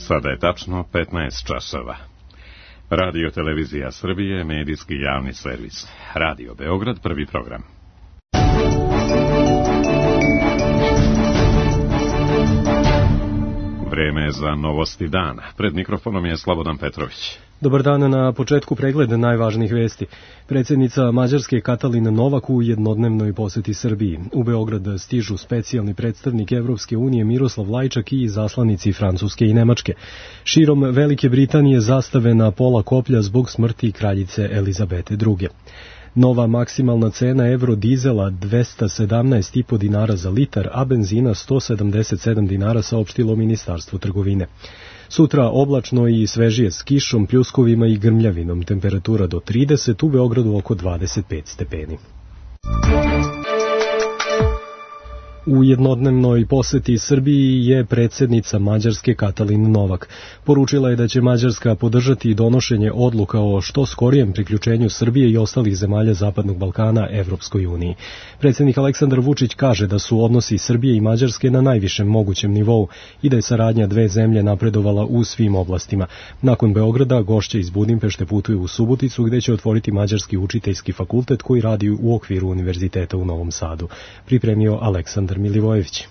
Sada je tačno 15 časova. Radio Televizija Srbije, medijski javni servis. Radio Beograd, prvi program. Vreme je za novosti dana. Pred mikrofonom je Slobodan Petrović. Dobar dan, na početku pregled najvažnijih vesti. Predsjednica Mađarske Katalin Novak u jednodnevnoj poseti Srbiji. U Beograd stižu specijalni predstavnik Evropske unije Miroslav Lajčak i izaslanici Francuske i Nemačke. Širom Velike Britanije zastave na pola koplja zbog smrti kraljice Elizabete II. Nova maksimalna cena eurodizela 217,5 dinara za litar, a benzina 177 dinara, saopštilo Ministarstvo trgovine. Sutra oblačno i svežije s kišom, pljuskovima i grmljavinom, temperatura do 30, u Beogradu oko 25 stepeni. U jednodnevnoj poseti Srbiji je predsjednica Mađarske Katalin Novak. Poručila je da će Mađarska podržati donošenje odluka o što skorijem priključenju Srbije i ostalih zemalja Zapadnog Balkana Evropskoj uniji. Predsjednik Aleksandar Vučić kaže da su odnosi Srbije i Mađarske na najvišem mogućem nivou i da je saradnja dve zemlje napredovala u svim oblastima. Nakon Beograda, gošće iz Budimpešte putuju u Suboticu, gde će otvoriti Mađarski učiteljski fakultet koji radi u okviru Univerziteta u Novom Sadu. Pripremio Aleksandar Milivojević.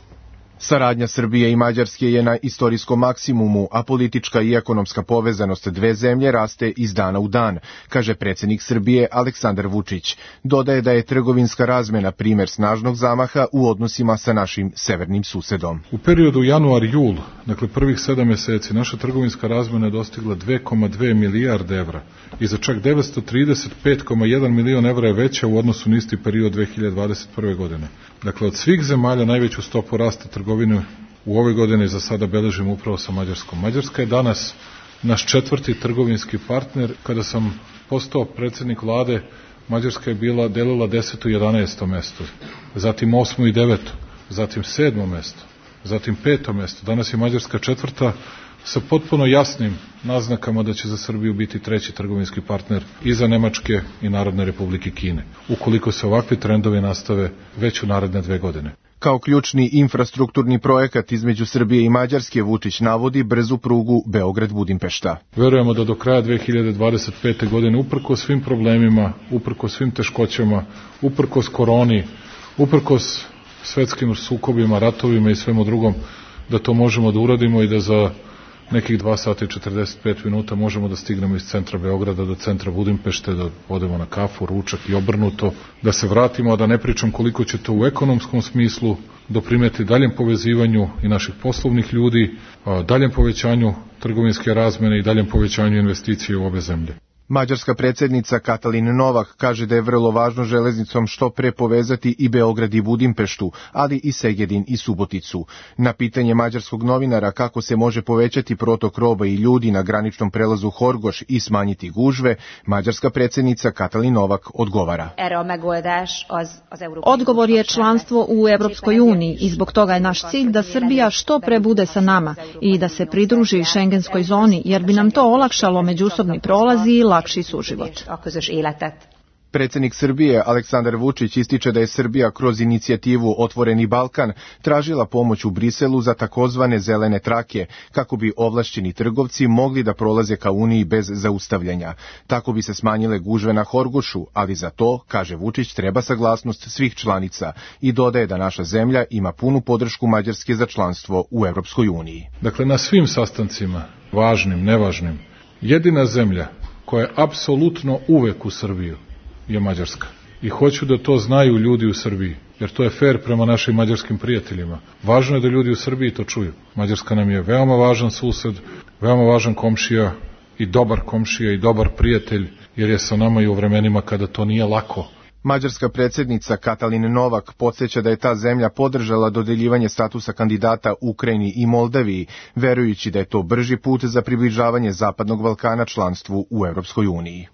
Saradnja Srbije i Mađarske je na istorijskom maksimumu, a politička i ekonomska povezanost dve zemlje raste iz dana u dan, kaže predsjednik Srbije Aleksandar Vučić. Dodaje da je trgovinska razmena primjer snažnog zamaha u odnosima sa našim severnim susedom. U periodu januar-jul, dakle prvih 7 mjeseci, naša trgovinska razmena je dostigla 2,2 milijarde evra i za čak 935,1 milion evra je veća u odnosu na isti period 2021. godine. Dakle, od svih zemalja najveću stopu rasta trgovine u ovoj godini za sada beležimo upravo sa Mađarskom. Mađarska je danas naš 4. trgovinski partner. Kada sam postao predsjednik vlade, Mađarska je delila 10. i 11. mesto, zatim 8. i 9. zatim 7. mesto, zatim 5. mesto. Danas je Mađarska 4. sa potpuno jasnim naznakama da će za Srbiju biti 3. trgovinski partner iza Nemačke i Narodne Republike Kine, ukoliko se ovakvi trendovi nastave već u naredne 2 godine. Kao ključni infrastrukturni projekat između Srbije i Mađarske, Vučić navodi brzu prugu Beograd-Budimpešta. Verujemo da do kraja 2025. godine, uprkos svim problemima, uprkos svim teškoćama, uprkos koroni, uprkos svetskim sukobima, ratovima i svemu drugom, da to možemo da uradimo i da za nekih 2 sata i 45 minuta možemo da stignemo iz centra Beograda do centra Budimpešte, da odemo na kafu, ručak i obrnuto, da se vratimo, a da ne pričam koliko će to u ekonomskom smislu doprineti daljem povezivanju i naših poslovnih ljudi, daljem povećanju trgovinske razmene i daljem povećanju investicije u obe zemlje. Mađarska predsjednica Katalin Novak kaže da je vrlo važno železnicom što pre povezati i Beograd i Budimpeštu, ali i Segedin i Suboticu. Na pitanje mađarskog novinara kako se može povećati protok roba i ljudi na graničnom prelazu Horgoš i smanjiti gužve, mađarska predsjednica Katalin Novak odgovara. Odgovor je članstvo u Evropskoj uniji i zbog toga je naš cilj da Srbija što pre bude sa nama i da se pridruži šengenskoj zoni, jer bi nam to olakšalo međusobni prolazi i lakši suživot. Predsjednik Srbije Aleksandar Vučić ističe da je Srbija kroz inicijativu Otvoreni Balkan tražila pomoć u Briselu za takozvane zelene trake, kako bi ovlašćeni trgovci mogli da prolaze ka Uniji bez zaustavljanja. Tako bi se smanjile gužve na Horgošu, ali za to, kaže Vučić, treba saglasnost svih članica i dodaje da naša zemlja ima punu podršku Mađarske za članstvo u Evropskoj uniji. Dakle, na svim sastancima, važnim, nevažnim, jedina zemlja koja je apsolutno uvek u Srbiju je Mađarska. I hoću da to znaju ljudi u Srbiji, jer to je fair prema našim mađarskim prijateljima. Važno je da ljudi u Srbiji to čuju. Mađarska nam je veoma važan sused, veoma važan komšija i dobar prijatelj, jer je sa nama i u vremenima kada to nije lako. Mađarska predsjednica Katalin Novak podsjeća da je ta zemlja podržala dodeljivanje statusa kandidata Ukrajini i Moldaviji, verujući da je to brži put za približavanje Zapadnog Balkana članstvu u Evropskoj uniji.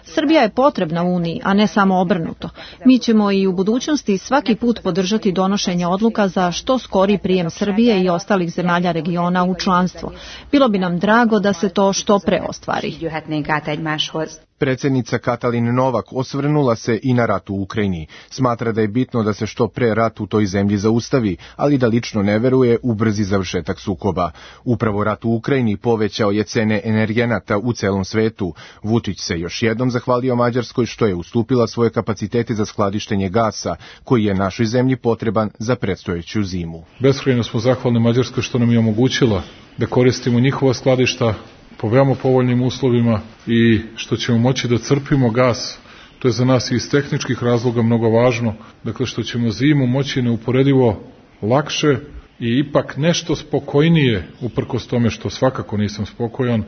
Srbija je potrebna Uniji, a ne samo obrnuto. Mi ćemo i u budućnosti svaki put podržati donošenje odluka za što skori prijem Srbije i ostalih zemalja regiona u članstvo. Bilo bi nam drago da se to što pre ostvari. Predsjednica Katalin Novak osvrnula se i na rat u Ukrajini. Smatra da je bitno da se što pre rat u toj zemlji zaustavi, ali da lično ne veruje u brzi završetak sukoba. Upravo rat u Ukrajini povećao je cene energenata u celom svetu. Vučić se još jednom zahvalio Mađarskoj što je ustupila svoje kapacitete za skladištenje gasa, koji je našoj zemlji potreban za predstojeću zimu. Beskrajno smo zahvalni Mađarskoj što nam je omogućila da koristimo njihova skladišta po veoma povoljnim uslovima i što ćemo moći da crpimo gas. To je za nas i iz tehničkih razloga mnogo važno. Dakle, što ćemo zimu moći neuporedivo lakše i ipak nešto spokojnije, uprkos tome što svakako nisam spokojan,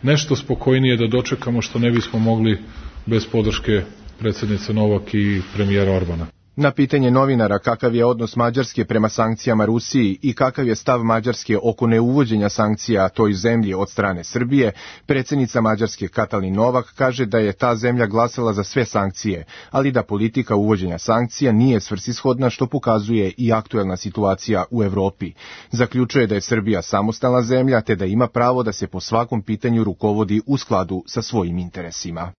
nešto spokojnije da dočekamo što ne bismo mogli bez podrške predsjednice Novak i premijera Orbana. Na pitanje novinara kakav je odnos Mađarske prema sankcijama Rusiji i kakav je stav Mađarske oko neuvođenja sankcija toj zemlji od strane Srbije, predsjednica Mađarske Katalin Novak kaže da je ta zemlja glasala za sve sankcije, ali da politika uvođenja sankcija nije svrsishodna, što pokazuje i aktuelna situacija u Evropi. Zaključuje da je Srbija samostalna zemlja te da ima pravo da se po svakom pitanju rukovodi u skladu sa svojim interesima.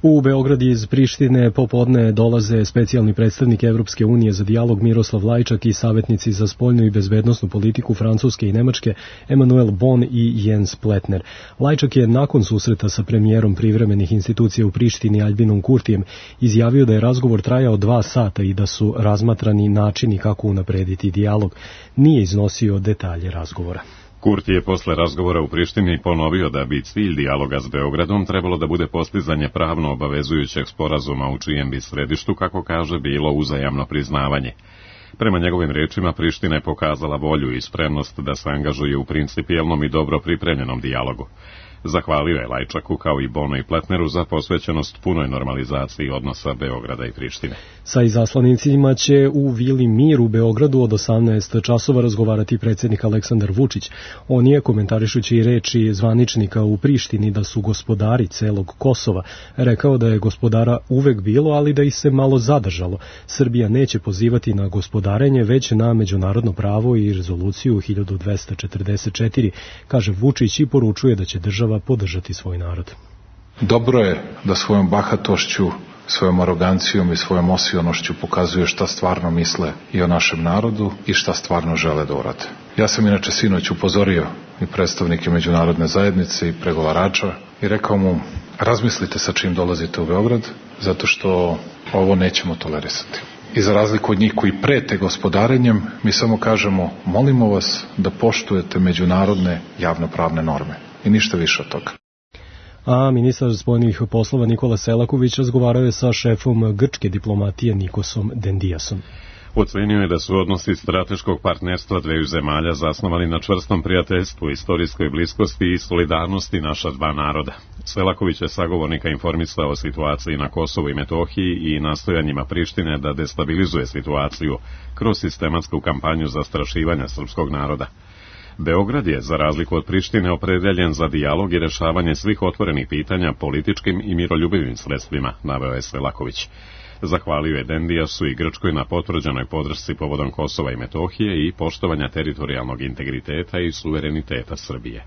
U Beograd iz Prištine popodne dolaze specijalni predstavnik Evropske unije za dijalog Miroslav Lajčak i savjetnici za spoljnu i bezbednosnu politiku Francuske i Nemačke Emanuel Bon i Jens Pletner. Lajčak je nakon susreta sa premijerom privremenih institucija u Prištini Albinom Kurtijem izjavio da je razgovor trajao 2 sata i da su razmatrani načini kako unaprediti dijalog. Nije iznosio detalje razgovora. Kurti je posle razgovora u Prištini ponovio da bi cilj dijaloga s Beogradom trebalo da bude postizanje pravno obavezujućeg sporazuma u čijem bi središtu, kako kaže, bilo uzajamno priznavanje. Prema njegovim rečima, Priština je pokazala volju i spremnost da se angažuje u principijelnom i dobro pripremljenom dijalogu. Zahvalio je Lajčaku kao i Bonu i Pletneru za posvećenost punoj normalizaciji odnosa Beograda i Prištine. Sa izaslanicima će u Vili Mir u Beogradu od 18 časova razgovarati predsjednik Aleksandar Vučić. On je, komentarišući reči zvaničnika u Prištini da su gospodari celog Kosova, rekao da je gospodara uvek bilo, ali da ih se malo zadržalo. Srbija neće pozivati na gospodarenje, već na međunarodno pravo i rezoluciju 1244, kaže Vučić i poručuje da će država podržati svoj narod. Dobro je da svojom bahatošću, svojom arogancijom i svojom osionošću pokazuje šta stvarno misle i o našem narodu i šta stvarno žele da urade. Ja sam inače sinoć upozorio i predstavnike međunarodne zajednice i pregovarača i rekao mu, razmislite sa čim dolazite u Beograd, zato što ovo nećemo tolerisati. I za razliku od njih koji prete gospodarenjem, mi samo kažemo, molimo vas da poštujete međunarodne javnopravne norme. I ništa više od toga. A ministar spoljnih poslova Nikola Selaković razgovarao je sa šefom grčke diplomatije Nikosom Dendiasom. Ocenio je da su odnosi strateškog partnerstva dveju zemalja zasnovani na čvrstom prijateljstvu, istorijskoj bliskosti i solidarnosti naša dva naroda. Selaković je sagovornika informisao o situaciji na Kosovu i Metohiji i nastojanjima Prištine da destabilizuje situaciju kroz sistematsku kampanju zastrašivanja srpskog naroda. Beograd je, za razliku od Prištine, opredeljen za dijalog i rešavanje svih otvorenih pitanja političkim i miroljubivim sredstvima, naveo je Selaković. Zahvalio je Dendiasu i Grčkoj na potvrđenoj podršci povodom Kosova i Metohije i poštovanja teritorijalnog integriteta i suvereniteta Srbije.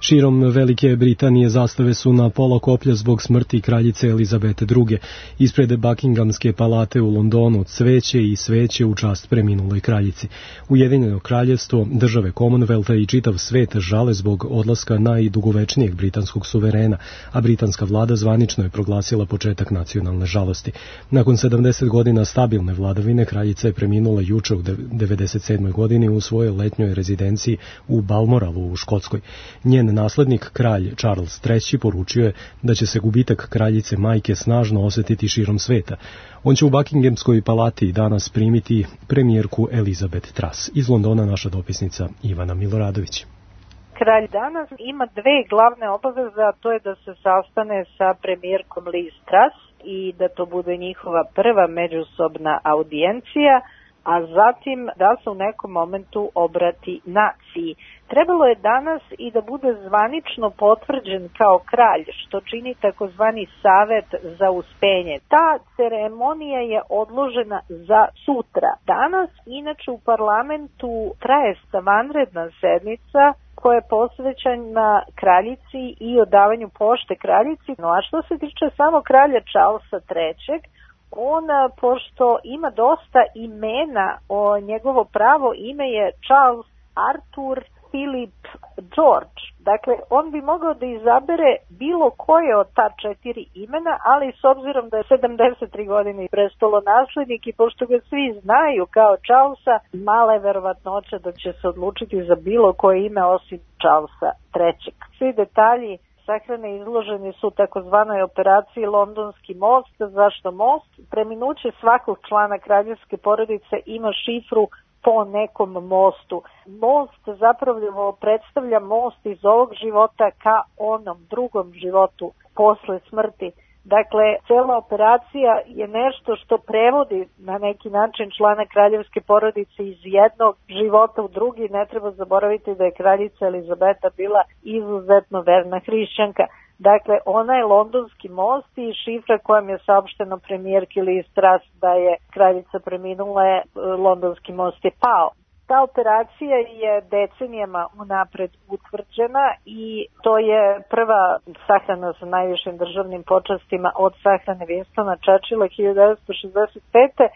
Širom Velike Britanije zastave su na pola koplja zbog smrti kraljice Elizabete II. Ispred Buckinghamske palate u Londonu cveće i sveće u čast preminuloj kraljici. Ujedinjeno kraljevstvo, države Commonwealtha i čitav svet žale zbog odlaska najdugovečnijeg britanskog suverena, a britanska vlada zvanično je proglasila početak nacionalne žalosti. Nakon 70 godina stabilne vladavine, kraljica je preminula juče u 97. godini u svojoj letnjoj rezidenciji u Balmoralu u Škotskoj. Njen naslednik, kralj Charles III, poručio je da će se gubitak kraljice majke snažno osetiti širom sveta. On će u Buckinghamskoj palati danas primiti premijerku Elizabeth Truss. Iz Londona naša dopisnica Ivana Miloradović. Kralj danas ima 2 glavne obaveze, a to je da se sastane sa premijerkom Liz Truss i da to bude njihova prva međusobna audijencija, a zatim da se u nekom momentu obrati naciji. Trebalo je danas i da bude zvanično potvrđen kao kralj, što čini takozvani savet za uspenje. Ta ceremonija je odložena za sutra. Danas, inače, u parlamentu traje vanredna sednica koja je posvećena kraljici i odavanju pošte kraljici. No, a što se tiče samo kralja Charlesa III, on, pošto ima dosta imena, njegovo pravo ime je Charles Arthur Philip George. Dakle, on bi mogao da izabere bilo koje od ta 4 imena, ali s obzirom da je 73 godine prestolonaslednik i pošto ga svi znaju kao Charlesa, mala je verovatnoća da će se odlučiti za bilo koje ime osim Charlesa III. Svi detalji sahrane izloženi su takozvanoj operaciji Londonski most. Zašto most? Preminuće svakog člana kraljevske porodice ima šifru po nekom mostu. Most zapravo predstavlja most iz ovog života ka onom drugom životu posle smrti. Dakle, cela operacija je nešto što prevodi na neki način člana kraljevske porodice iz jednog života u drugi. Ne treba zaboraviti da je kraljica Elizabeta bila izuzetno verna hrišćanka. Dakle, ona je Londonski most i šifra kojom je saopšteno premijerki Liz Truss da je kraljica preminula, Londonski most je pao. Ta operacija je decenijama unapred utvrđena i to je prva sahrana sa najvišim državnim počastima od sahrane Winstona Churchilla 1965.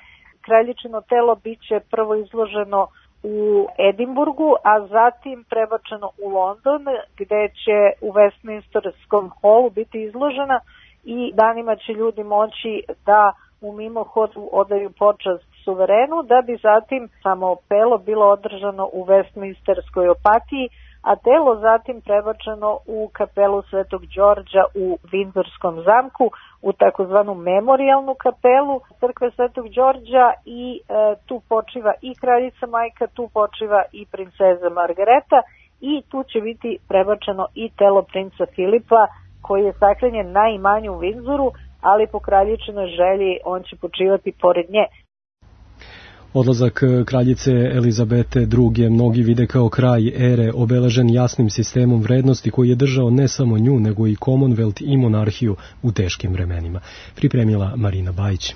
Kraljičino telo biće prvo izloženo u Edinburgu, a zatim prebačeno u London, gde će u Westminsterskom holu biti izložena i danima će ljudi moći da u mimohodu odaju počast suverenu, da bi zatim samo pelo bilo održano u Westminsterskoj opatiji, a telo zatim prebačeno u kapelu Svetog Đorđa u Vindzorskom zamku, u takozvanu memorijalnu kapelu crkve Svetog Đorđa i tu počiva i kraljica majka, tu počiva i princeza Margareta i tu će biti prebačeno i telo princa Filipa koji je sahranjen na imanju u Vindzoru, ali po kraljičinoj želji on će počivati pored nje. Odlazak kraljice Elizabete II. Mnogi vide kao kraj ere obeležen jasnim sistemom vrednosti koji je držao ne samo nju, nego i Commonwealth i monarhiju u teškim vremenima. Pripremila Marina Bajić.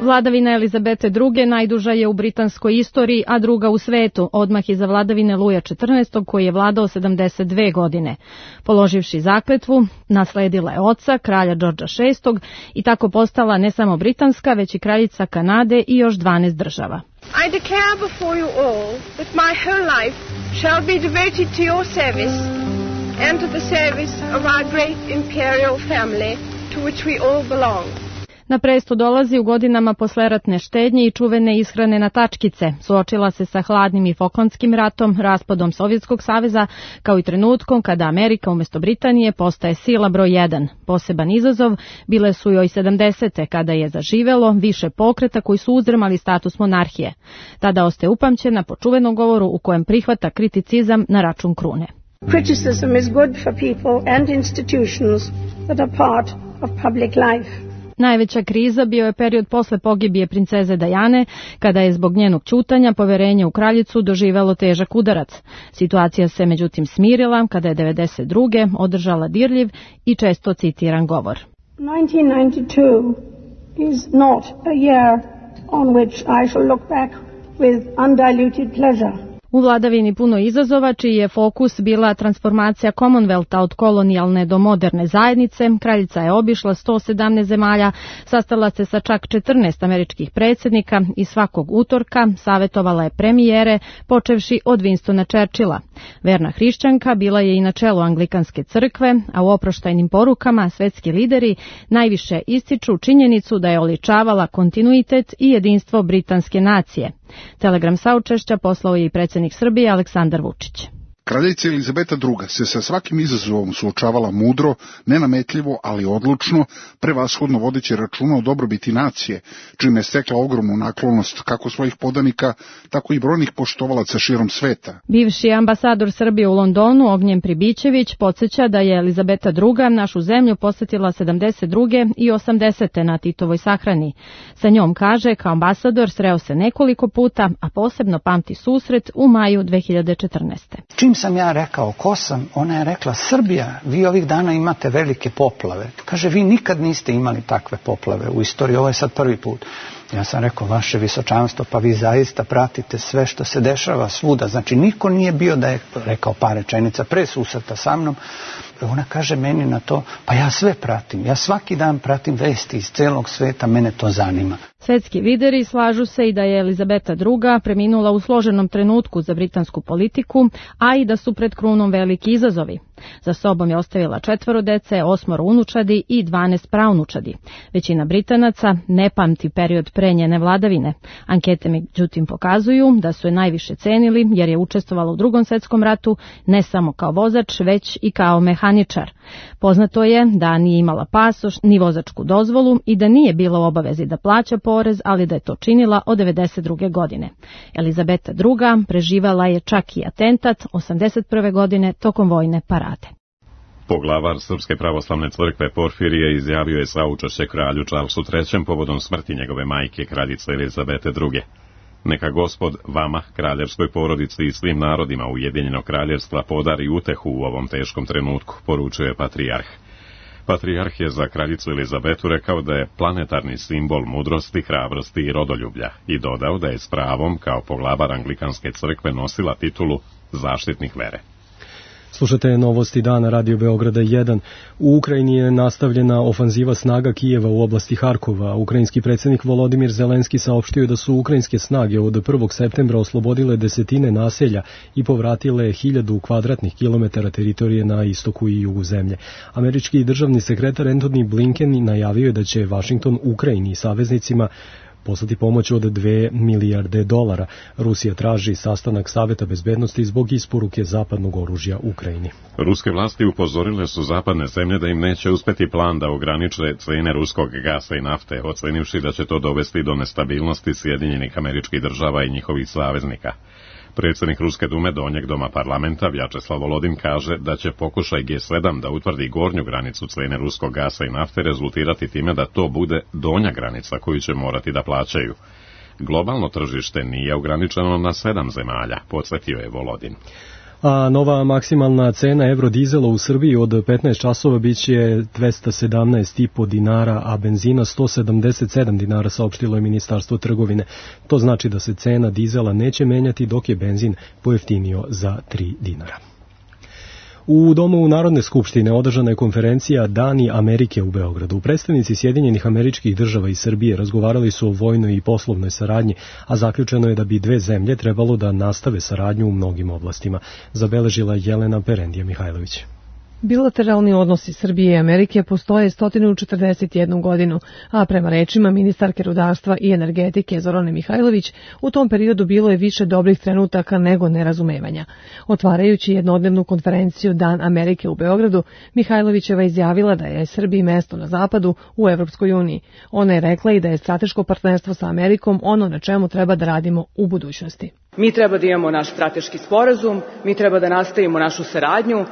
Vladavina Elizabete II. Najduža je u britanskoj istoriji, a druga u svetu, odmah iza vladavine Luja XIV. Koji je vladao 72 godine. Položivši zakletvu, nasledila je oca, kralja Georgea VI. I tako postala ne samo britanska, već i kraljica Kanade i još 12 država. I declare before you all that my whole life shall be devoted to your service and to the service of our great imperial family to which we all belong. Na presto dolazi u godinama posleratne štednje i čuvene ishrane na tačkice. Suočila se sa hladnim i Falklandskim ratom, raspadom Sovjetskog saveza, kao i trenutkom kada Amerika umjesto Britanije postaje sila broj 1. Poseban izazov bile su joj 70. kada je zaživelo više pokreta koji su uzdrmali status monarhije. Tada ostaje upamćena po čuvenom govoru u kojem prihvata kriticizam na račun krune. Criticism is good for people and institutions that are part of public life. Najveća kriza bio je period posle pogibije princeze Dajane, kada je zbog njenog ćutanja poverenje u kraljicu doživelo težak udarac. Situacija se međutim smirila kada je 92. održala dirljiv i često citiran govor. 1992 is not a year on which I shall look back with undiluted pleasure. U vladavini puno izazova, čiji je fokus bila transformacija Commonwealtha od kolonijalne do moderne zajednice, kraljica je obišla 117 zemalja, sastala se sa čak 14 američkih predsjednika i svakog utorka savjetovala je premijere, počevši od Winstona Churchilla. Verna hrišćanka bila je i na čelu Anglikanske crkve, a u oproštajnim porukama svetski lideri najviše ističu činjenicu da je oličavala kontinuitet i jedinstvo britanske nacije. Telegram saučešća poslao je i predsjednik Srbije Aleksandar Vučić. Kraljica Elizabeta II. Se sa svakim izazovom suočavala mudro, nenametljivo, ali odlučno, prevashodno vodeći računa o dobrobiti nacije, čime je stekla ogromnu naklonost kako svojih podanika, tako i brojnih poštovalaca širom sveta. Bivši ambasador Srbije u Londonu, Ognjen Pribićević, podsjeća da je Elizabeta II. Našu zemlju posjetila 72. i 80. na Titovoj sahrani. Sa njom, kaže, kao ambasador sreo se nekoliko puta, a posebno pamti susret u maju 2014. Čim sam ja rekao ko sam, ona je rekla: Srbija, vi ovih dana imate velike poplave. Kaže, vi nikad niste imali takve poplave u istoriji, ovo je sad prvi put. Ja sam rekao, vaše visočanstvo, pa vi zaista pratite sve što se dešava svuda. Znači, niko nije bio da je rekao par rečenica pre susreta sa mnom. Ona kaže meni na to, pa ja sve pratim. Ja svaki dan pratim vesti iz celog sveta, mene to zanima. Svetski lideri slažu se i da je Elizabeta II. Preminula u složenom trenutku za britansku politiku, a i da su pred krunom veliki izazovi. Za sobom je ostavila 4 dece, 8 unučadi i 12 praunučadi. Većina Britanaca ne pamti period pre njene vladavine. Ankete međutim pokazuju da su je najviše cenili jer je učestvovala u Drugom svetskom ratu ne samo kao vozač, već i kao mehaničar. Poznato je da nije imala pasoš ni vozačku dozvolu i da nije bila u obavezi da plaća porez, ali da je to činila od 1992. godine. Elizabeta II. Preživala je čak i atentat 1981. godine tokom vojne parade. Poglavar Srpske pravoslavne crkve Porfirije izjavio je saučešće kralju Charlesu III. Povodom smrti njegove majke, kraljice Elizabete II. Neka Gospod vama, kraljevskoj porodici i svim narodima Ujedinjenog kraljevstva podari utehu u ovom teškom trenutku, poručuje patrijarh. Patrijarh je za kraljicu Elizabetu rekao da je planetarni simbol mudrosti, hrabrosti i rodoljublja i dodao da je s pravom, kao poglavar Anglikanske crkve, nosila titulu zaštitnik vere. Slušate novosti dana Radio Beograda 1. U Ukrajini je nastavljena ofanziva snaga Kijeva u oblasti Harkova. Ukrajinski predsjednik Volodimir Zelenski saopštio da su ukrajinske snage od 1. septembra oslobodile desetine naselja i povratile 1000 kvadratnih kilometara teritorije na istoku i jugu zemlje. Američki državni sekretar Antony Blinken najavio je da će Vašington Ukrajini i saveznicima poslati pomoć od $2 milijarde. Rusija traži sastanak Saveta bezbednosti zbog isporuke zapadnog oružja Ukrajini. Ruske vlasti upozorile su zapadne zemlje da im neće uspeti plan da ograniče cene ruskog gasa i nafte, ocenivši da će to dovesti do nestabilnosti Sjedinjenih Američkih Država i njihovih saveznika. Predsjednik Ruske dume Donjeg doma parlamenta Vjačeslav Volodin kaže da će pokušaj G7 da utvrdi gornju granicu cene ruskog gasa i nafte rezultirati time da to bude donja granica koju će morati da plaćaju. Globalno tržište nije ograničeno na 7 zemalja, podsjetio je Volodin. A nova maksimalna cena eurodizela u Srbiji od 15 časova biće 217,5 dinara, a benzina 177 dinara, saopštilo je Ministarstvo trgovine. To znači da se cena dizela neće menjati dok je benzin pojeftinio za 3 dinara. U Domu Narodne skupštine održana je konferencija Dani Amerike u Beogradu. Predstavnici Sjedinjenih Američkih Država i Srbije razgovarali su o vojnoj i poslovnoj saradnji, a zaključeno je da bi dve zemlje trebalo da nastave saradnju u mnogim oblastima, zabeležila Jelena Perendija Mihajlović. Bilateralni odnosi Srbije i Amerike postoje 141 godinu, a prema rečima ministarke rudarstva i energetike Zorane Mihajlović, u tom periodu bilo je više dobrih trenutaka nego nerazumevanja. Otvarajući jednodnevnu konferenciju Dan Amerike u Beogradu, Mihajlovićeva izjavila da je Srbiji mesto na zapadu u Evropskoj uniji. Ona je rekla i da je strateško partnerstvo sa Amerikom ono na čemu treba da radimo u budućnosti. Mi treba da imamo naš strateški sporazum, mi treba da nastavimo našu saradnju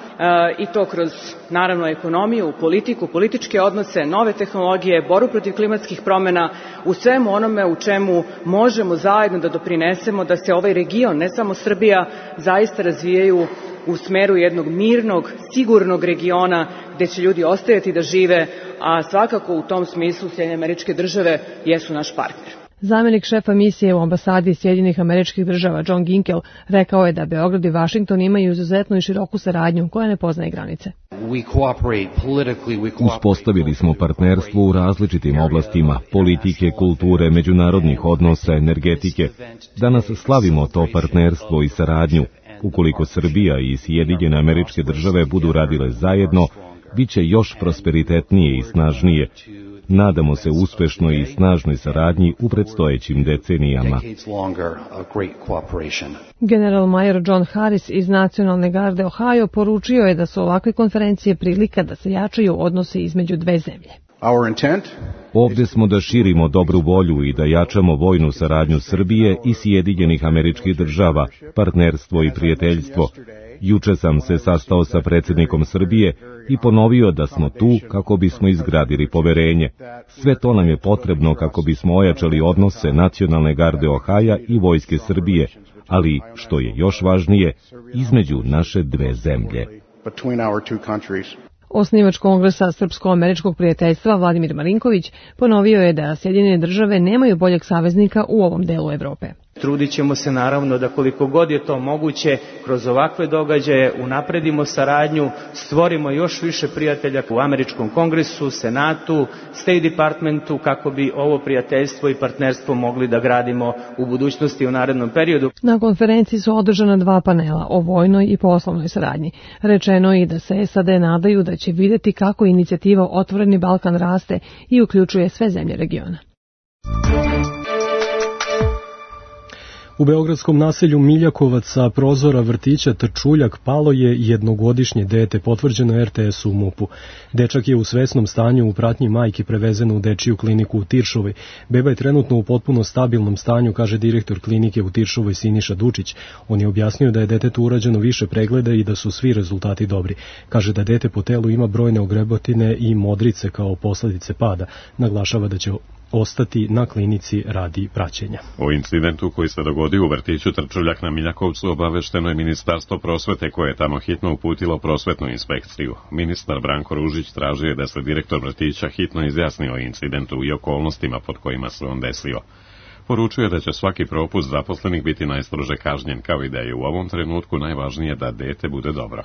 i to kroz, naravno, ekonomiju, politiku, političke odnose, nove tehnologije, borbu protiv klimatskih promjena, u svemu onome u čemu možemo zajedno da doprinesemo da se ovaj region, ne samo Srbija, zaista razvijaju u smeru jednog mirnog, sigurnog regiona gde će ljudi ostajati da žive, a svakako u tom smislu Sjedinjene Američke Države jesu naš partner. Zamenik šefa misije u ambasadi Sjedinjenih Američkih Država John Ginkel rekao je da Beograd i Vašington imaju izuzetnu i široku saradnju koja ne poznaje granice. Uspostavili smo partnerstvo u različitim oblastima, politike, kulture, međunarodnih odnosa, energetike. Danas slavimo to partnerstvo i saradnju. Ukoliko Srbija i Sjedinjene Američke Države budu radile zajedno, bit će još prosperitetnije i snažnije. Nadamo se uspešnoj i snažnoj saradnji u predstojećim decenijama. General major John Harris iz Nacionalne garde Ohio poručio je da su ovakve konferencije prilika da se jačaju odnosi između dve zemlje. Ovdje smo da širimo dobru volju i da jačamo vojnu saradnju Srbije i Sjedinjenih Američkih Država, partnerstvo i prijateljstvo. Juče sam se sastao sa predsjednikom Srbije i ponovio da smo tu kako bismo izgradili poverenje. Sve to nam je potrebno kako bismo ojačali odnose Nacionalne garde Ohaja i Vojske Srbije, ali, što je još važnije, između naše dve zemlje. Osnivač Kongresa Srpsko-američkog prijateljstva Vladimir Marinković ponovio je da Sjedinjene države nemaju boljeg saveznika u ovom delu Evrope. Trudit ćemo se naravno da koliko god je to moguće kroz ovakve događaje unapredimo saradnju, stvorimo još više prijatelja u Američkom kongresu, Senatu, State Departmentu kako bi ovo prijateljstvo i partnerstvo mogli da gradimo u budućnosti u narednom periodu. Na konferenciji su održana 2 panela o vojnoj i poslovnoj saradnji. Rečeno je i da se SAD nadaju da će vidjeti kako inicijativa Otvoreni Balkan raste i uključuje sve zemlje regiona. U beogradskom naselju Miljakovac sa prozora vrtića Trčuljak palo je jednogodišnje dete, potvrđeno RTS-u u MUP-u. Dečak je u svesnom stanju u pratnji majke prevezeno u dečiju kliniku u Tiršovoj. Beba je trenutno u potpuno stabilnom stanju, kaže direktor klinike u Tiršovoj Siniša Dučić. On je objasnio da je detetu urađeno više pregleda i da su svi rezultati dobri. Kaže da dete po telu ima brojne ogrebotine i modrice kao posljedice pada. Naglašava da će ostati na klinici radi praćenja. O incidentu koji se dogodio u vrtiću Trčuljak na Miljakovcu obavešteno je Ministarstvo prosvete koje je tamo hitno uputilo prosvetnu inspekciju. Ministar Branko Ružić tražio da se direktor vrtića hitno izjasni o incidentu i okolnostima pod kojima se on desio. Poručuje da će svaki propust zaposlenih biti najstrože kažnjen, kao i da je u ovom trenutku najvažnije da dete bude dobro.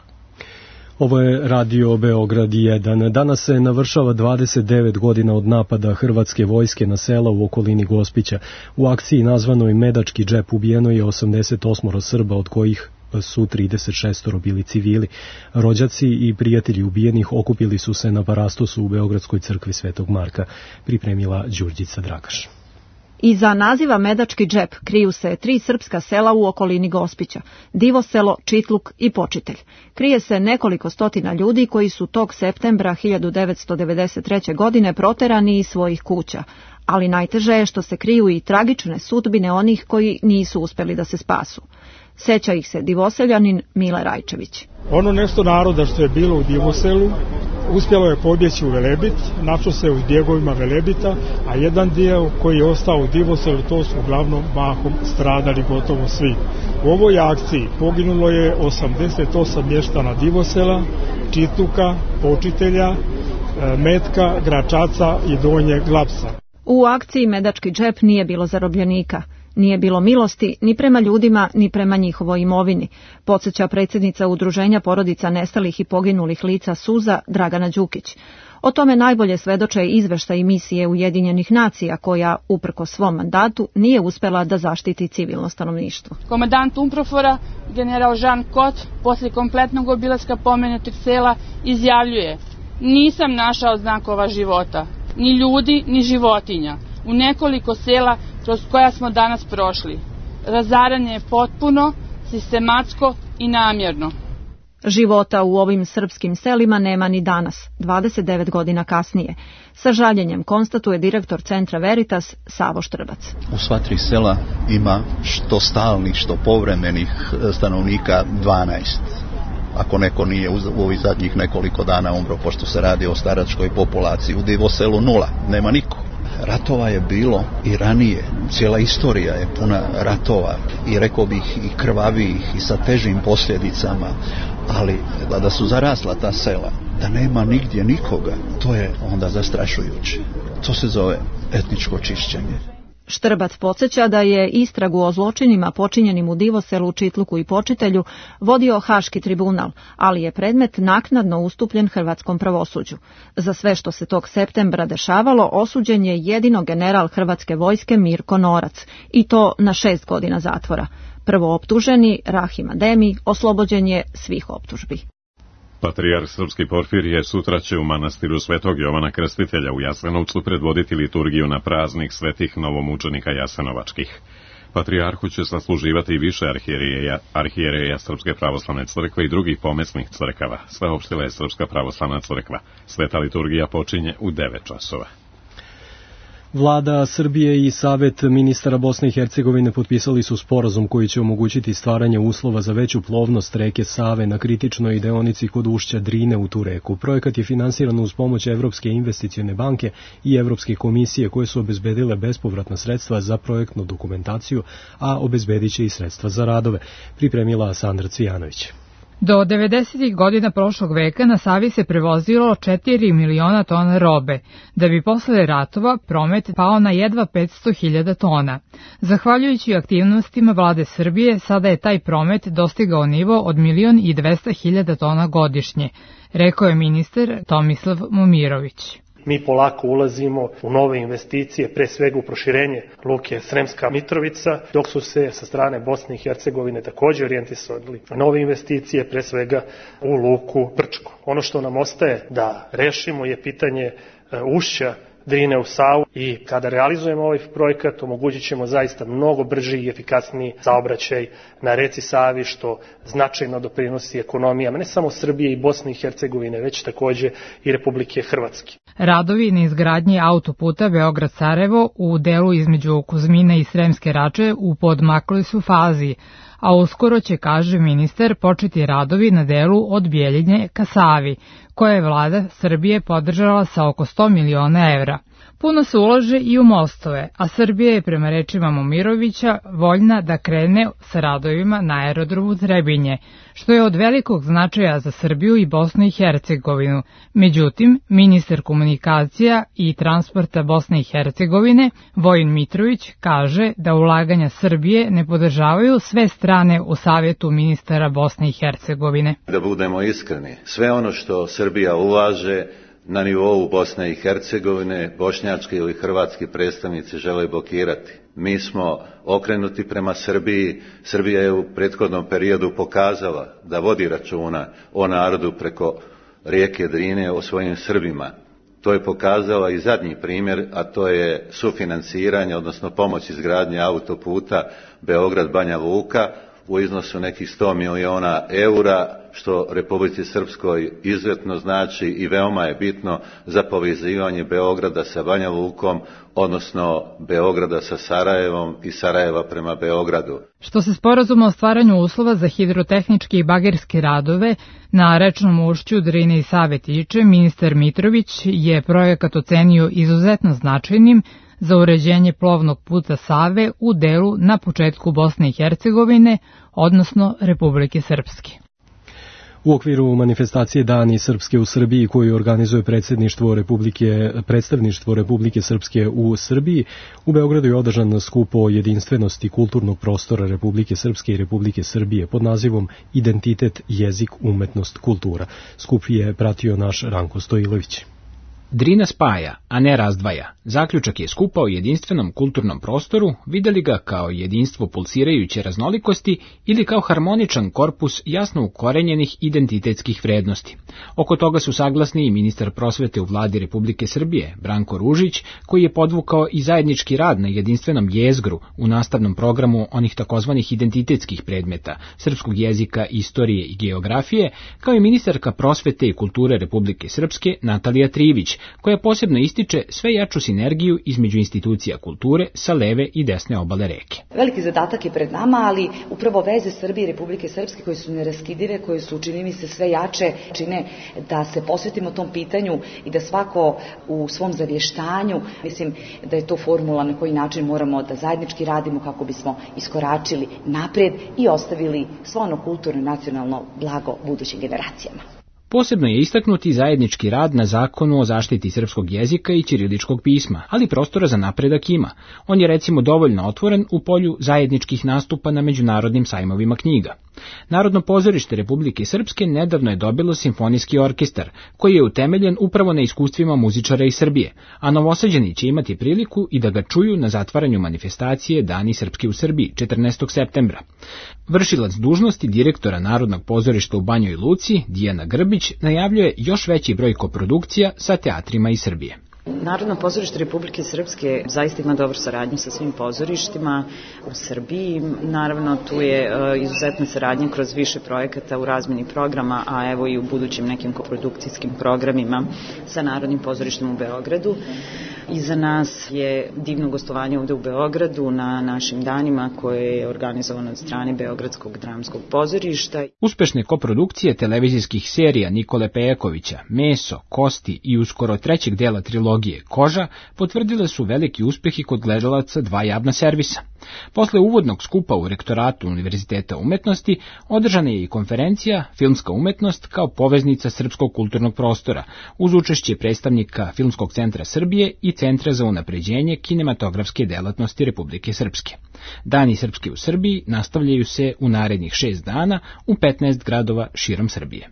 Ovo je Radio Beograd 1. Danas se navršava 29 godina od napada hrvatske vojske na sela u okolini Gospića. U akciji nazvanoj Medački džep ubijeno je 88 Srba, od kojih su 36 bili civili. Rođaci i prijatelji ubijenih okupili su se na Parastosu u Beogradskoj crkvi Svetog Marka, pripremila Đurđica Dragaš. Iza naziva Medački džep kriju se 3 srpska sela u okolini Gospića, Divoselo, Čitluk i Počitelj. Krije se nekoliko stotina ljudi koji su tog septembra 1993. godine proterani iz svojih kuća, ali najteže je što se kriju i tragične sudbine onih koji nisu uspeli da se spasu. Seća ih se Divoseljanin Mile Rajčević. Ono nešto naroda što je bilo u Divoselu uspjelo je pobjeći u Velebit, našao se u bjegovima Velebita, a jedan dio koji je ostao u Divoselu, to su uglavnom mahom stradali gotovo svi. U ovoj akciji poginulo je 88 mještana Divosela, Čitluka, Počitelja, Metka, Gračaca i Donjeg Lapsa. U akciji Medački džep nije bilo zarobljenika. Nije bilo milosti ni prema ljudima, ni prema njihovoj imovini, podsjeća predsjednica Udruženja porodica nestalih i poginulih lica Suza Dragana Đukić. O tome najbolje svedoče izveštaj misije Ujedinjenih nacija koja, uprkos svom mandatu, nije uspela da zaštiti civilno stanovništvo. Komandant UNPROFOR-a, general Jean Cot, poslije kompletnog obilaska pomenutih sela, izjavljuje: nisam našao znakova života, ni ljudi, ni životinja, u nekoliko sela kroz koja smo danas prošli. Razaranje je potpuno, sistematsko i namjerno. Života u ovim srpskim selima nema ni danas, 29 godina kasnije. Sa žaljenjem konstatuje direktor centra Veritas Savo Štrbac. U sva 3 sela ima što stalnih, što povremenih stanovnika 12. Ako neko nije u ovih zadnjih nekoliko dana umro, pošto se radi o staračkoj populaciji. U Divoselu 0, nema niko. Ratova je bilo i ranije, cijela istorija je puna ratova i rekao bih i krvavijih i sa težim posljedicama, ali da su zarasla ta sela, da nema nigdje nikoga, to je onda zastrašujuće. To se zove etničko čišćenje. Štrbac podsjeća da je istragu o zločinima počinjenim u Divoselu, Čitluku i Počitelju vodio Haški tribunal, ali je predmet naknadno ustupljen hrvatskom pravosuđu. Za sve što se tog septembra dešavalo osuđen je jedino general hrvatske vojske Mirko Norac, i to na 6 godina zatvora. Prvooptuženi Rahim Ademi oslobođen je svih optužbi. Patrijarh Srpski Porfirije sutra će u manastiru Svetog Jovana Krstitelja u Jasenovcu predvoditi liturgiju na praznik svetih novomučenika jasenovačkih. Patrijarhu će sasluživati više arhijereja Srpske pravoslavne crkve i drugih pomesnih crkava. Saopštila je Srpska pravoslavna crkva. Sveta liturgija počinje u 9 časova. Vlada Srbije i Savet ministara Bosne i Hercegovine potpisali su sporazum koji će omogućiti stvaranje uslova za veću plovnost reke Save na kritičnoj deonici kod ušća Drine u tu reku. Projekat je finansiran uz pomoć Evropske investicione banke i Evropske komisije koje su obezbedile bespovratna sredstva za projektnu dokumentaciju, a obezbedit će i sredstva za radove, pripremila Sandra Cvijanović. Do 90. godina prošlog veka na Savi se prevozilo 4 miliona tona robe, da bi posle ratova promet pao na jedva 500.000 tona. Zahvaljujući aktivnostima vlade Srbije, sada je taj promet dostigao nivo od 1.200.000 tona godišnje, rekao je ministar Tomislav Momirović. Mi polako ulazimo u nove investicije, pre svega u proširenje luke Sremska Mitrovica, dok su se sa strane Bosne i Hercegovine takođe orijentisali nove investicije, pre svega u luku Brčko. Ono što nam ostaje da rešimo je pitanje ušća Drine u Savu i kada realizujemo ovaj projekat omogućit ćemo zaista mnogo brži i efikasniji saobraćaj na reci Savi, što značajno doprinosi ekonomijama ne samo Srbije i Bosne i Hercegovine, već takođe i Republike Hrvatske. Radovi na izgradnji autoputa Beograd-Sarajevo u delu između Kuzmina i Sremske Rače u podmakloj su fazi, a uskoro će, kaže ministar, početi radovi na delu od Bjeljine ka Savi, koje je vlada Srbije podržala sa oko 100 miliona evra. Puno se ulaže i u mostove, a Srbija je prema rečima Momirovića voljna da krene sa radovima na aerodromu Trebinje, što je od velikog značaja za Srbiju i Bosnu i Hercegovinu. Međutim, ministar komunikacija i transporta Bosne i Hercegovine, Vojin Mitrović, kaže da ulaganja Srbije ne podržavaju sve strane u Savjetu ministara Bosne i Hercegovine. Da budemo iskreni, sve ono što Srbija ulaže na nivou Bosne i Hercegovine, bošnjački ili hrvatski predstavnici žele blokirati. Mi smo okrenuti prema Srbiji. Srbija je u prethodnom periodu pokazala da vodi računa o narodu preko rijeke Drine, o svojim Srbima. To je pokazala i zadnji primjer, a to je sufinanciranje, odnosno pomoć izgradnje autoputa Beograd-Banja Luka u iznosu nekih 100 miliona eura, što Republici Srpskoj izuzetno znači i veoma je bitno za povezivanje Beograda sa Banja Lukom, odnosno Beograda sa Sarajevom i Sarajeva prema Beogradu. Što se sporazuma o stvaranju uslova za hidrotehničke i bagerske radove na rečnom ušću Drine i Save tiče, ministar Mitrović je projekat ocenio izuzetno značajnim za uređenje plovnog puta Save u delu na početku Bosne i Hercegovine, odnosno Republike Srpske. U okviru manifestacije Dani Srpske u Srbiji koju organizuje predstavništvo Republike Srpske u Srbiji, u Beogradu je održan skup o jedinstvenosti kulturnog prostora Republike Srpske i Republike Srbije pod nazivom Identitet, jezik, umetnost, kultura. Skup je pratio naš Ranko Stojilović. Drina spaja, a ne razdvaja. Zaključak je skupa o jedinstvenom kulturnom prostoru, videli ga kao jedinstvo pulsirajuće raznolikosti ili kao harmoničan korpus jasno ukorenjenih identitetskih vrednosti. Oko toga su saglasni i ministar prosvete u vladi Republike Srbije, Branko Ružić, koji je podvukao i zajednički rad na jedinstvenom jezgru u nastavnom programu onih takozvanih identitetskih predmeta, srpskog jezika, istorije i geografije, kao i ministarka prosvete i kulture Republike Srpske, Natalija Trivić, koja posebno ističe sve jaču sinergiju između institucija kulture sa leve i desne obale reke. Veliki zadatak je pred nama, ali upravo veze Srbije i Republike Srpske koje su neraskidive, koje su, čini mi se, sve jače, čine da se posvetimo tom pitanju i da svako u svom zavještanju, mislim da je to formula na koji način moramo da zajednički radimo kako bismo iskoračili napred i ostavili svo ono kulturno i nacionalno blago budućim generacijama. Posebno je istaknuti zajednički rad na zakonu o zaštiti srpskog jezika i ćiriličkog pisma, ali prostora za napredak ima. On je recimo dovoljno otvoren u polju zajedničkih nastupa na međunarodnim sajmovima knjiga. Narodno pozorište Republike Srpske nedavno je dobilo simfonijski orkestar, koji je utemeljen upravo na iskustvima muzičara iz Srbije, a Novosađani će imati priliku i da ga čuju na zatvaranju manifestacije Dani Srpske u Srbiji 14. septembra. Vršilac dužnosti direktora Narodnog pozorišta u Banjoj Luci, Dijana Grbić, najavljuje još veći broj koprodukcija sa teatrima iz Srbije. Narodno pozorište Republike Srpske zaista ima dobru saradnju sa svim pozorištima u Srbiji. Naravno, tu je izuzetna saradnja kroz više projekata u razmeni programa, a evo i u budućim nekim koprodukcijskim programima sa Narodnim pozorištem u Beogradu. I za nas je divno gostovanje ovde u Beogradu na našim danima koje je organizovano od strane Beogradskog dramskog pozorišta. Uspešne koprodukcije televizijskih serija Nikole Pejakovića, Meso, Kosti i uskoro trećeg dela trilogije tehnologije koža potvrdile su veliki uspeh i kod gledalaca dva javna servisa. Posle uvodnog skupa u rektoratu Univerziteta umetnosti održana je i konferencija Filmska umetnost kao poveznica srpskog kulturnog prostora, uz učešće predstavnika Filmskog centra Srbije i Centra za unapređenje kinematografske delatnosti Republike Srpske. Dani srpski u Srbiji nastavljaju se u narednih 6 dana u 15 gradova širom Srbije.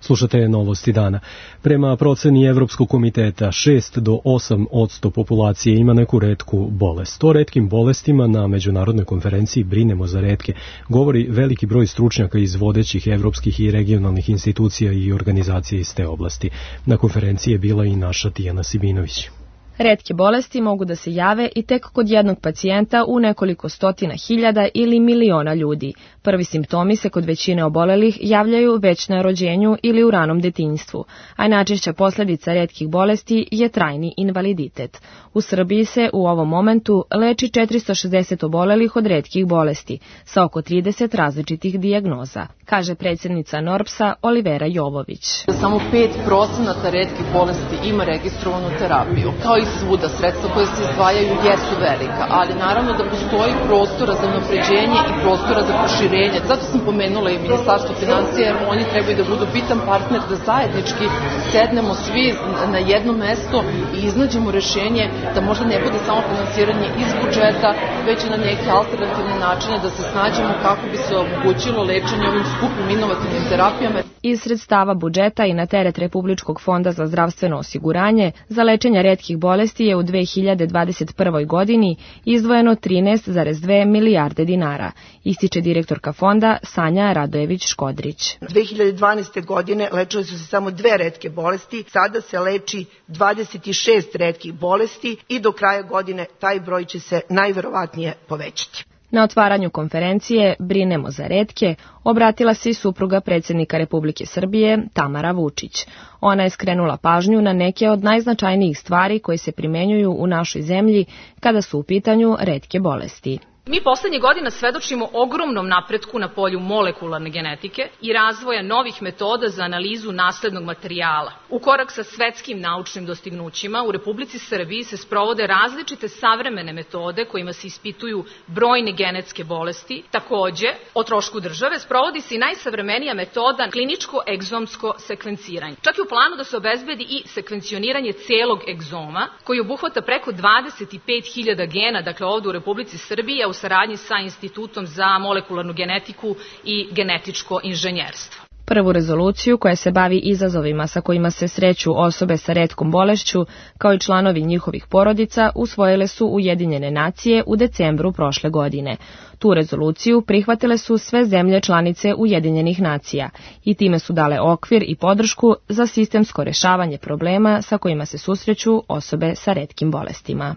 Slušate novosti dana. Prema proceni Evropskog komiteta, 6 do 8% populacije ima neku retku bolest. O retkim bolestima na međunarodnoj konferenciji Brinemo za retke govori veliki broj stručnjaka iz vodećih evropskih i regionalnih institucija i organizacija iz te oblasti. Na konferenciji je bila i naša Tijana Sibinović. Retke bolesti mogu da se jave i tek kod jednog pacijenta u nekoliko stotina hiljada ili miliona ljudi. Prvi simptomi se kod većine obolelih javljaju već na rođenju ili u ranom detinjstvu, a najčešća posljedica retkih bolesti je trajni invaliditet. U Srbiji se u ovom momentu leči 460 obolelih od retkih bolesti, sa oko 30 različitih dijagnoza, kaže predsjednica NORBS-a Olivera Jovović. Samo 5% retkih bolesti ima registrovanu terapiju. Kao i svuda, sredstva koje se izdvajaju jesu velika, ali naravno da postoji prostora za unapređenje i prostora za proširenje. Zato sam pomenula i Ministarstvo financija, jer oni trebaju da budu bitan partner da zajednički sednemo svi na jedno mesto i iznađemo rešenje da možda ne bude samo finansiranje iz budžeta, već i na neke alternativne načine da se snađemo kako bi se omogućilo lečenje ovim skupim inovativnim terapijama. Iz sredstava budžeta i na teret Republičkog fonda za zdravstveno osiguranje za lečenje retkih bolesti je u 2021. godini izdvojeno 13,2 milijarde dinara, ističe direktorka fonda Sanja Radojević-Škodrić. 2012. godine lečile su se samo 2 retke bolesti, sada se leči 26 retkih bolesti i do kraja godine taj broj će se najverovatnije povećati. Na otvaranju konferencije Brinemo za retke obratila se i supruga predsjednika Republike Srbije, Tamara Vučić. Ona je skrenula pažnju na neke od najznačajnijih stvari koje se primenjuju u našoj zemlji kada su u pitanju retke bolesti. Mi poslednje godina svedočimo ogromnom napretku na polju molekularne genetike i razvoja novih metoda za analizu naslednog materijala. U korak sa svetskim naučnim dostignućima u Republici Srbiji se sprovode različite savremene metode kojima se ispituju brojne genetske bolesti. Takođe, o trošku države sprovodi se i najsavremenija metoda kliničko-egzomsko sekvenciranje. Čak i u planu da se obezbedi i sekvencioniranje celog egzoma koji obuhvata preko 25.000 gena, dakle ovde u Republici Srbiji, u saradnji sa Institutom za molekularnu genetiku i genetičko inženjerstvo. Prvu rezoluciju koja se bavi izazovima sa kojima se sreću osobe sa retkom bolešću, kao i članovi njihovih porodica, usvojile su Ujedinjene nacije u decembru prošle godine. Tu rezoluciju prihvatile su sve zemlje članice Ujedinjenih nacija i time su dale okvir i podršku za sistemsko rešavanje problema sa kojima se susreću osobe sa retkim bolestima.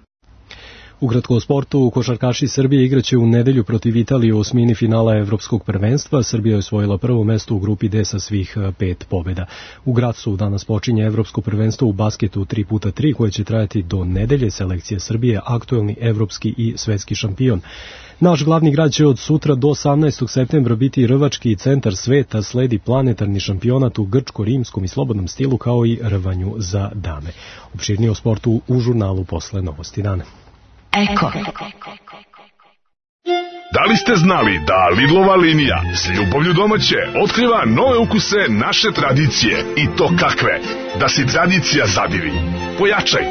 Ukratko o sportu, košarkaši Srbije igraće u nedelju protiv Italije u osmini finala Evropskog prvenstva. Srbija je osvojila prvo mesto u grupi D sa svih 5 pobjeda. U Gracu danas počinje Evropsko prvenstvo u basketu 3x3 koje će trajati do nedelje. Selekcija Srbije, aktuelni evropski i svetski šampion. Naš glavni grad će od sutra do 18. septembra biti rvački centar sveta, sledi planetarni šampionat u grčko-rimskom i slobodnom stilu kao i rvanju za dame. Opširnije o sportu u žurnalu posle Novosti dana. Eko. Da li ste znali da Lidlova linija s ljubavlju domaće otkriva nove ukuse naše tradicije i to kakve? Da si tradicija zadivi.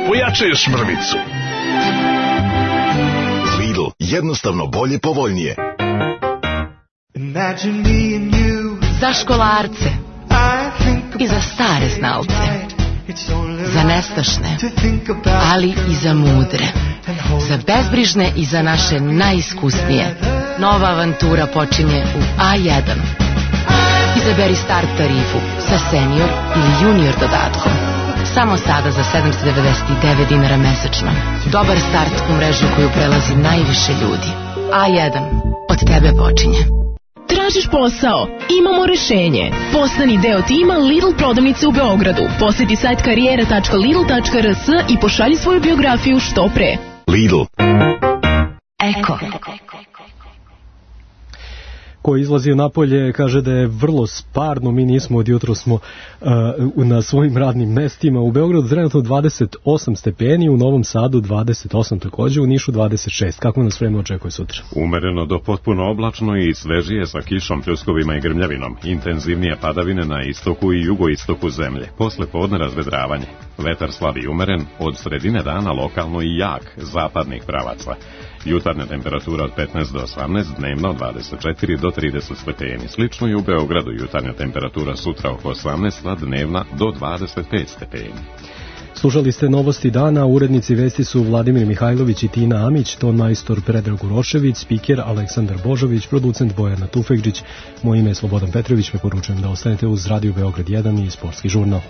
Pojačaj još mrvicu. Lidl, jednostavno bolje, povoljnije. Za školarce i za stare znalce, za nestašne, ali i za mudre, za bezbrižne i za naše najiskusnije. Nova avantura počinje u A1. Izaberi start tarifu sa senior ili junior dodatkom. Samo sada za 799 dinara mesečno. Dobar start u mrežu koju prelazi najviše ljudi. A1. Od tebe počinje. Tražiš posao? Imamo rešenje. Postani deo tima Lidl prodavnice u Beogradu. Poseti sajt karijera.lidl.rs i pošalji svoju biografiju što pre. Lidl. Eko. koji izlazio napolje kaže da je vrlo sparno, mi nismo od jutro smo na svojim radnim mestima. U Beogradu trenutno 28 stepeni, u Novom Sadu 28 takođe, u Nišu 26. Kako nas vreme očekuje sutra? Umereno do potpuno oblačno i svežije sa kišom, pljuskovima i grmljavinom. Intenzivnije padavine na istoku i jugoistoku zemlje. Posle podne razvedravanje. Vetar slab i umeren, od sredine dana lokalno i jak, zapadnih pravaca. Jutarnja temperatura od 15 do 18, dnevna od 24 do 30 stepeni. Slično i u Beogradu, jutarnja temperatura sutra oko 18, a dnevna do 25 stepeni. Slušali ste novosti dana, urednici vesti su Vladimir Mihajlović i Tina Amić, ton majstor Predrag Urošević, spiker Aleksandar Božović, producent Bojana Tufekđić. Moje ime je Slobodan Petrović, me poručujem da ostanete uz Radio Beograd 1 i Sportski žurnal.